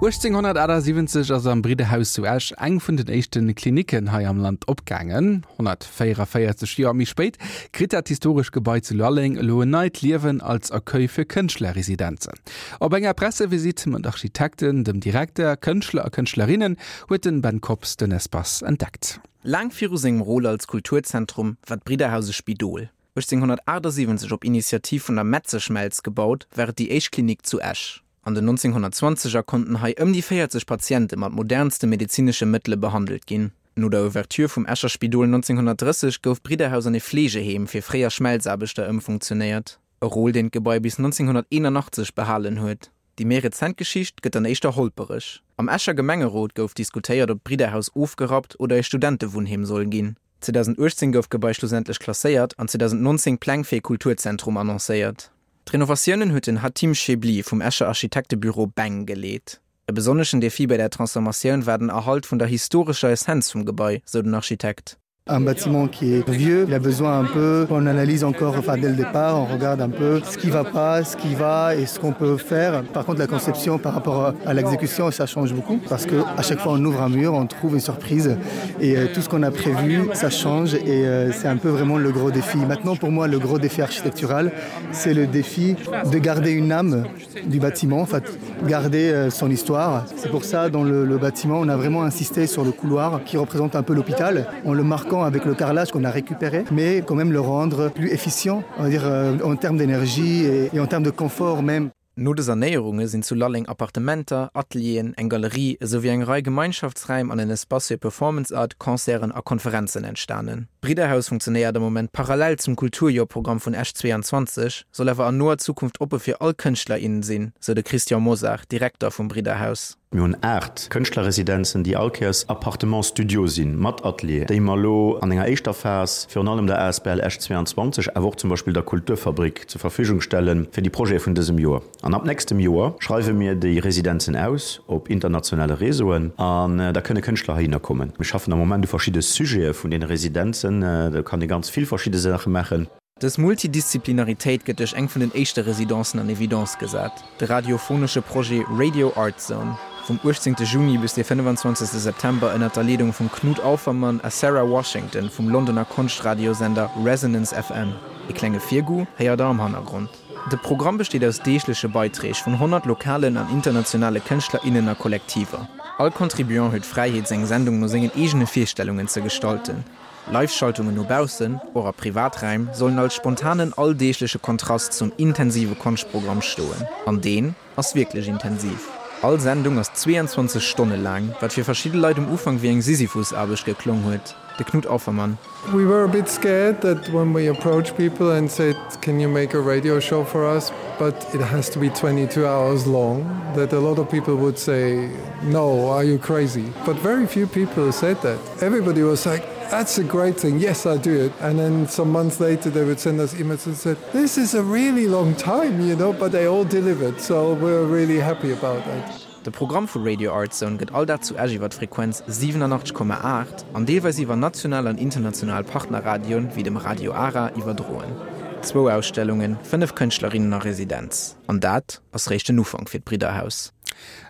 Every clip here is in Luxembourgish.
1878 ass am Bridderhaus zu Esch eng vun den éischte Klinicken hei am Land opgaangen. 144 Joer méi spéit kritt dat historesch Gebai zu Lalleng elo en neit Liewen als Accueil fir Kënschtlerresidenzen. Op enger Pressevisitt mat Architekten, dem Direkter, Kënschtler a Kënschtlerinnen huet den Ben Kops den Espace entdeckt. Laang viru sengem Rôle als Kulturzentrum war d'Bridderhaus e Spidol. 1878 op Initiativ vun der Metzeschmelz gebaut, war et déi éischt Klinik zu Esch. An den 1920er konnten hei ëm déi 40 Patiente mat modernste medezinesche Mëttele behandelt ginn. No der Ouverture vum Escher Spidol 1930 gouf d'Bridderhaus an e Fleegeheem fir fréier Schmelzaarbechter ëmfunktionéiert, e Rôle deen d'Gebai bis 1981 behalen huet. Déi méi rezent Geschicht gëtt dann éischter holpereg. Am Escher Gemengerot gouf diskutéiert, ob d'Bridderhaus ofgerappt oder e Studentewunnheem soll ginn. 2018 gouf d'Gebai schlussendlech klasséiert an 2019 Pläng fir e Kulturzentrum annoncéiert. D'Renovatiounen huet den Hatim Chebli vum Escher Architektebüro Beng geleet. E besonneschen Defi bei der Transformatioun war den Erhalt vun der historescher Essenz vum Gebai, sou den Architekt. Un bâtiment qui est vieux, il a besoin un peu qu'on analyse encore enfin dès le départ, on regarde un peu ce qui va pas, ce qui va et ce qu'on peut faire. Par contre la conception par rapport à l'exécution ça change beaucoup parce que à chaque fois on ouvre un mur, on trouve une surprise et euh, tout ce qu'on a prévu ça change et euh, c'est un peu vraiment le gros défi. Maintenant pour moi le gros défi architectural c'est le défi de garder une âme du bâtiment, en fait, garder euh, son histoire. C'est pour ça dans le, le bâtiment on a vraiment insisté sur le couloir qui représente un peu l'hôpital en le marquant avec le carrelage qu'on a récupéré mais quand même le rendre plus efficient on va dire euh, en termes d'énergie et, et en termes de confort même. No de Sanéierunge sinn zu Lalleng Appartementer, Atelieren, eng Galerie esou wéi eng Rei Gemeinschaftsräim an en Espace fir Performance Art, Concerten a Konferenzen entstanen. D'Bridderhaus funktionéiert am Moment parallel zum Kulturjoerprogramm vun Esch 22, soll awer an noer Zukunft oppe fir all Kënschtler, innen sinn, sou de Christian Mosar, Direkter vum Bridderhaus. Mir hunn 8 Kënschtlerresidenzen, déi all Kéiers Appartements-studios sinn, mat Atelier, déi mer elo an enger éischter Phas virun allem der asbl Esch 22, awer och zum Beispill der Kulturfabrik zur Verfügung stelle fir déi Projete vun dësem Joer. An ab nächstem Joer schreiwe mir déi Residenzen aus op internationale Réseauen an da kënne Kënschtler heihinner kommen. Mir schaffen am Moment u verschidde Sujete vun deene Residenzen. Do kann ee ganz vill verschidde Saache maachen. Dës Multidisziplinaritéit gëtt duerch eng vun den éischte Residencen an Evidence gesat, de radiophonesche Projet Radio Art Zone, vum 18 Juni bis de 25 September ënnert der Leedung vum Knut Aufermann a Sarah Washington vum Londoner Konscht-Radiosender Resonance FM. E klenge Virgoût héiert der am Hannergrond. De Programm besteet aus deegleche Beiträg vun 100 lokalen an internationale Kënschtler, innen a Kollektiver. All Contribuant huet d'Fräiheet seng Sendung no sengen eegene Virstellungen ze gestalten. Live-Schaltungen no baussen, och a Privaträim, sollen als spontanen alldeegleche Kontrast zum intensive Konschtprogramm stoen. An deen ass wierklech intensiv. All Sendung ass 22 Stonne laang, wat fir verschidde Leit um Ufank wéi eng Sisyphusaarbecht geklong huet. De Knut Aufermann. We were a bit scared that when we approached people and said can you make a radio show for us, but it has to be 22 hours long, that a lot of people would say no, are you crazy? But very few people said that. Everybody was like, that's a great thing, yes, I do it. And then some months later they would send us emails and said, this is a really long time, you know, but they all delivered, so we're really happy about that. De Programm vu Radio Art Zone gëtt all Dag zu Esch iwwer d'Frequenz 87,8 an deelweis iwwer national an international Partnerradioen, wéi dem Radio Ara, iwwerdroen. Zwou Ausstellungen, 5 Kënschtlerinnen a Residenz, an dat ass réischt den Ufank fir d'Bridderhaus.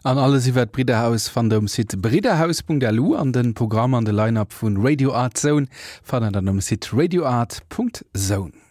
An alles iwwert d'Bridderhaus fannt der um Site bridderhaus.lu an den Programm an de Line-Up vun Radio Art Zone fannt der dann um Site radioart.zone.